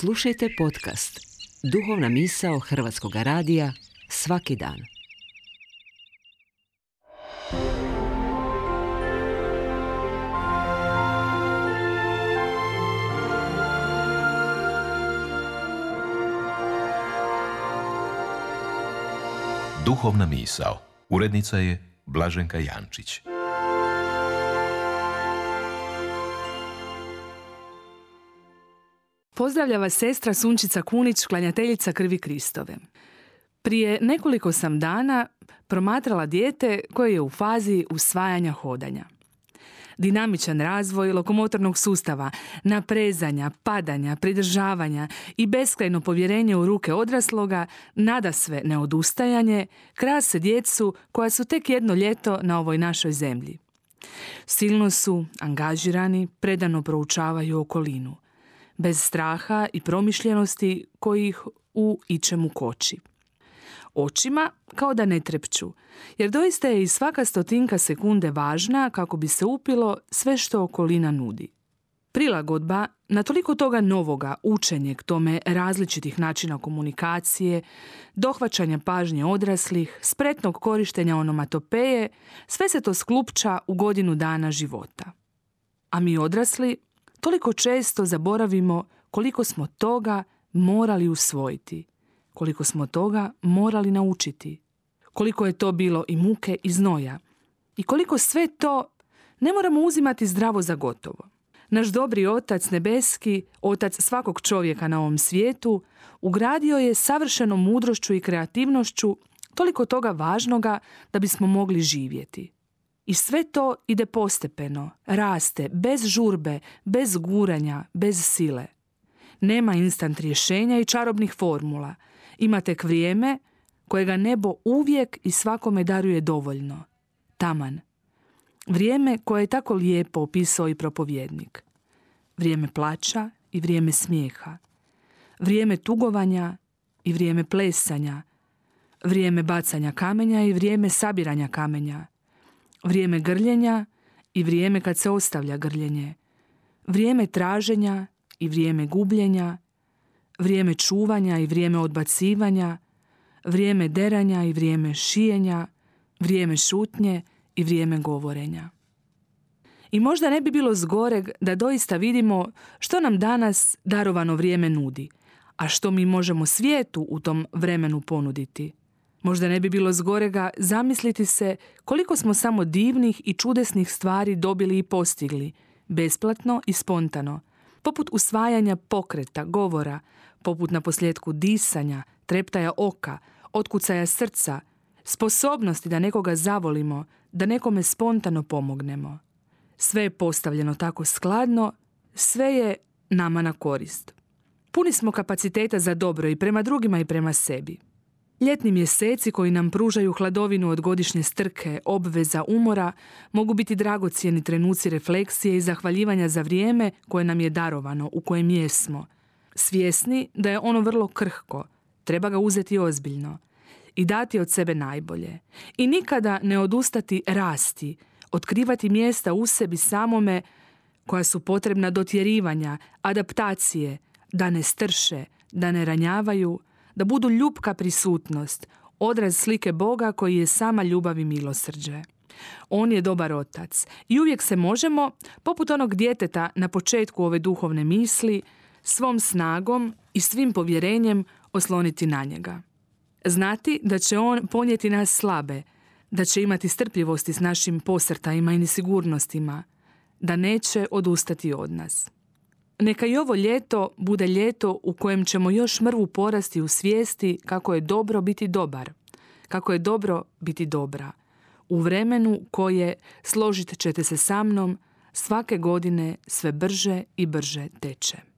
Slušajte podcast Duhovna misao Hrvatskog radija svaki dan. Duhovna misao. Urednica je Blaženka Jančić. Pozdravlja vas sestra Sunčica Kunić, klanjateljica krvi Kristove. Prije nekoliko sam dana promatrala dijete koje je u fazi usvajanja hodanja. Dinamičan razvoj lokomotornog sustava, naprezanja, padanja, pridržavanja i beskrajno povjerenje u ruke odrasloga, nadasve neodustajanje, krase djecu koja su tek jedno ljeto na ovoj našoj zemlji. Silno su angažirani, predano proučavaju okolinu, bez straha i promišljenosti koji ih u ičemu koči. Očima kao da ne trepću, jer doista je i svaka stotinka sekunde važna kako bi se upilo sve što okolina nudi. Prilagodba na toliko toga novoga, učenje k tome različitih načina komunikacije, dohvaćanja pažnje odraslih, spretnog korištenja onomatopeje, sve se to sklupča u godinu dana života. A mi odrasli toliko često zaboravimo koliko smo toga morali usvojiti, koliko smo toga morali naučiti, koliko je to bilo i muke i znoja i koliko sve to ne moramo uzimati zdravo za gotovo. Naš dobri Otac nebeski, Otac svakog čovjeka na ovom svijetu, ugradio je savršenom mudrošću i kreativnošću toliko toga važnoga da bismo mogli živjeti. I sve to ide postepeno, raste, bez žurbe, bez guranja, bez sile. Nema instant rješenja i čarobnih formula. Ima tek vrijeme kojega nebo uvijek i svakome daruje dovoljno. Taman. Vrijeme koje je tako lijepo opisao i propovjednik. Vrijeme plača i vrijeme smijeha. Vrijeme tugovanja i vrijeme plesanja. Vrijeme bacanja kamenja i vrijeme sabiranja kamenja. Vrijeme grljenja i vrijeme kad se ostavlja grljenje. Vrijeme traženja i vrijeme gubljenja. Vrijeme čuvanja i vrijeme odbacivanja. Vrijeme deranja i vrijeme šijenja. Vrijeme šutnje i vrijeme govorenja. I možda ne bi bilo zgoreg da doista vidimo što nam danas darovano vrijeme nudi, a što mi možemo svijetu u tom vremenu ponuditi. Možda ne bi bilo zgorega zamisliti se koliko smo samo divnih i čudesnih stvari dobili i postigli, besplatno i spontano, poput usvajanja pokreta, govora, poput naposljetku disanja, treptaja oka, otkucaja srca, sposobnosti da nekoga zavolimo, da nekome spontano pomognemo. Sve je postavljeno tako skladno, sve je nama na korist. Puni smo kapaciteta za dobro i prema drugima i prema sebi. Ljetni mjeseci koji nam pružaju hladovinu od godišnje strke, obveza, umora, mogu biti dragocjeni trenuci refleksije i zahvaljivanja za vrijeme koje nam je darovano, u kojem jesmo. Svjesni da je ono vrlo krhko, treba ga uzeti ozbiljno i dati od sebe najbolje. I nikada ne odustati rasti, otkrivati mjesta u sebi samome koja su potrebna dotjerivanja, adaptacije, da ne strše, da ne ranjavaju, da budu ljubka prisutnost, odraz slike Boga koji je sama ljubav i milosrđe. On je dobar otac i uvijek se možemo, poput onog djeteta na početku ove duhovne misli, svom snagom i svim povjerenjem osloniti na njega. Znati da će on ponijeti nas slabe, da će imati strpljivosti s našim posrtajima i nesigurnostima, da neće odustati od nas. Neka i ovo ljeto bude ljeto u kojem ćemo još mrvu porasti u svijesti kako je dobro biti dobar, kako je dobro biti dobra, u vremenu koje, složit ćete se sa mnom, svake godine sve brže i brže teče.